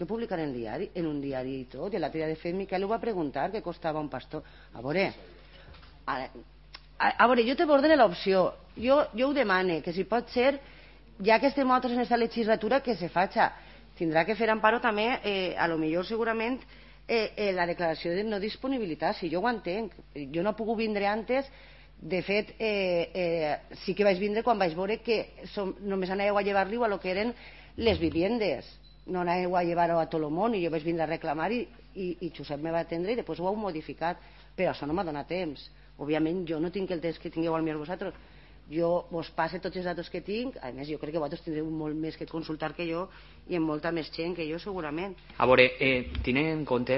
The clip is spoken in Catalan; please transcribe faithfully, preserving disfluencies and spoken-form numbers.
que publicar en, diari, en un diari i tot, i l'altre dia de fet Miquel ho va preguntar, que costava un pastor. A veure, a, a, a veure, jo te ordene l'opció, jo, jo ho demane, que si pot ser, ja que estem nosaltres en aquesta legislatura, que se faci. Tindrà que fer Amparo també, eh, a lo millor segurament, eh, eh, la declaració de no disponibilitat, si jo ho entenc. Jo no he pogut vindre antes, de fet, eh, eh, sí que vaig vindre quan vaig veure que som, només anàveu a llevar-li a lo que eren les viviendes, no anàveu a llevar-ho a tot el món, i jo vaig vindre a reclamar i, i, i Josep me va atendre i després ho heu modificat, però això no m'ha donat temps. Òbviament jo no tinc el temps que tingueu al millor vosaltres, jo vos passe tots els datos que tinc, a més jo crec que vosaltres tindreu molt més que consultar que jo i amb molta més gent que jo segurament. A veure, eh, tenint en compte